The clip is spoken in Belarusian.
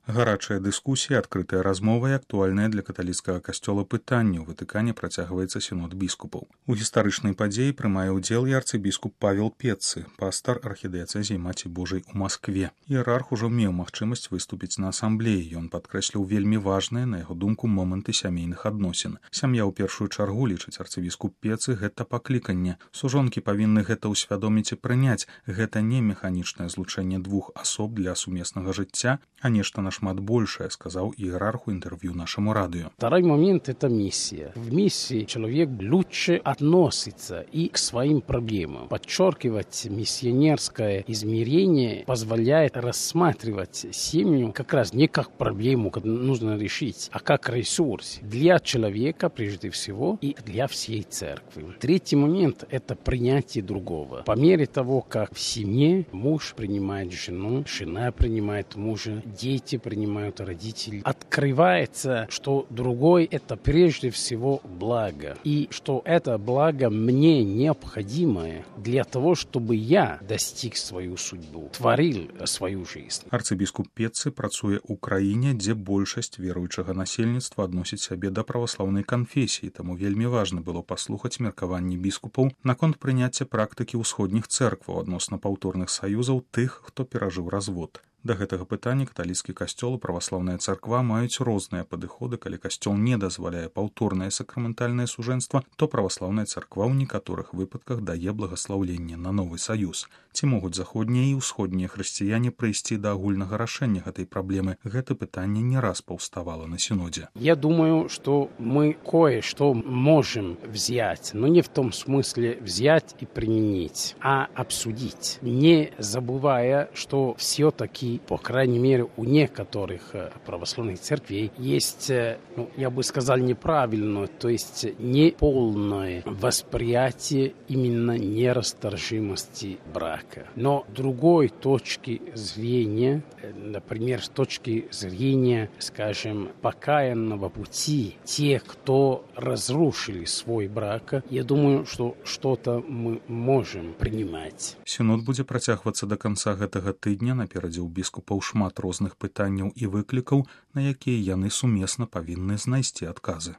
Гарачая дыскусія, адкрытая размова і актуальнае для каталіцкага касцёла пытанне ў Ватыкане працягваецца сінод біскупаў. У гістарычнай падзеі прымае ўдзел і арцыбіскуп Павел Пеццы, пастар архідыяцэзіі Маці Божай у Маскве. Іерарх ужо меў магчымасць выступіць на асамблеі. Ён падкрэсліў вельмі важныя, на яго думку, моманты сямейных адносін. Сям'я ў першую чаргу, лічыць арцыбіскуп Пеццы, гэта пакліканне. Сужонкі павінны гэта ўсвядоміць і прыняць. Гэта не механічнае злучэнне двух асоб для сумеснага жыцця, а нешта нашмат большее, сказал иерарху интервью нашему радио. Второй момент – это миссия. В миссии человек лучше относится и к своим проблемам. Подчеркивать миссионерское измерение позволяет рассматривать семью как раз не как проблему, которую нужно решить, а как ресурс для человека прежде всего и для всей церкви. Третий момент – это принятие другого. По мере того, как в семье муж принимает жену, жена принимает мужа, дети принимают родителей, открывается, что другой – это прежде всего благо. И что это благо мне необходимое для того, чтобы я достиг свою судьбу, творил свою жизнь. Арцыбіскуп Пеццы працуе ў краіне, дзе большасць веруючага насельніцтва адносіць сябе да праваслаўнай канфесіі, таму вельмі важна было паслухаць меркаванні біскупаў наконт прыняцця практыкі ўсходніх цэркваў адносна паўторных саюзаў тых, хто перажыў развод. Да гэтага пытання каталіцкі касцёл і праваслаўная царква маюць розныя падыходы. Калі касцёл не дазваляе паўторнае сакраментальнае сужэнства, то праваслаўная царква ў некаторых выпадках дае благаслаўленне на новы саюз. Ці могуць заходнія і ўсходнія хрысціяне прыйсці да агульнага рашэння гэтай праблемы? Гэта пытанне не раз паўставала на синодзе. Я думаю, что мы кое-что можем взять, но не в том смысле взять и применить, а обсудить, не забывая, что все-таки по крайней мере, у некоторых православных церквей есть, я бы сказал, неправильное, то есть неполное восприятие именно нерасторжимости брака. Но другой точки зрения, например, с точки зрения, скажем, покаянного пути, те, кто разрушили свой брак, я думаю, что что-то мы можем принимать. Сінод будзе працягвацца до конца гэтага тыдня. Наперадзе ў біскупаў шмат розных пытанняў і выклікаў, на якія яны сумесна павінны знайсці адказы.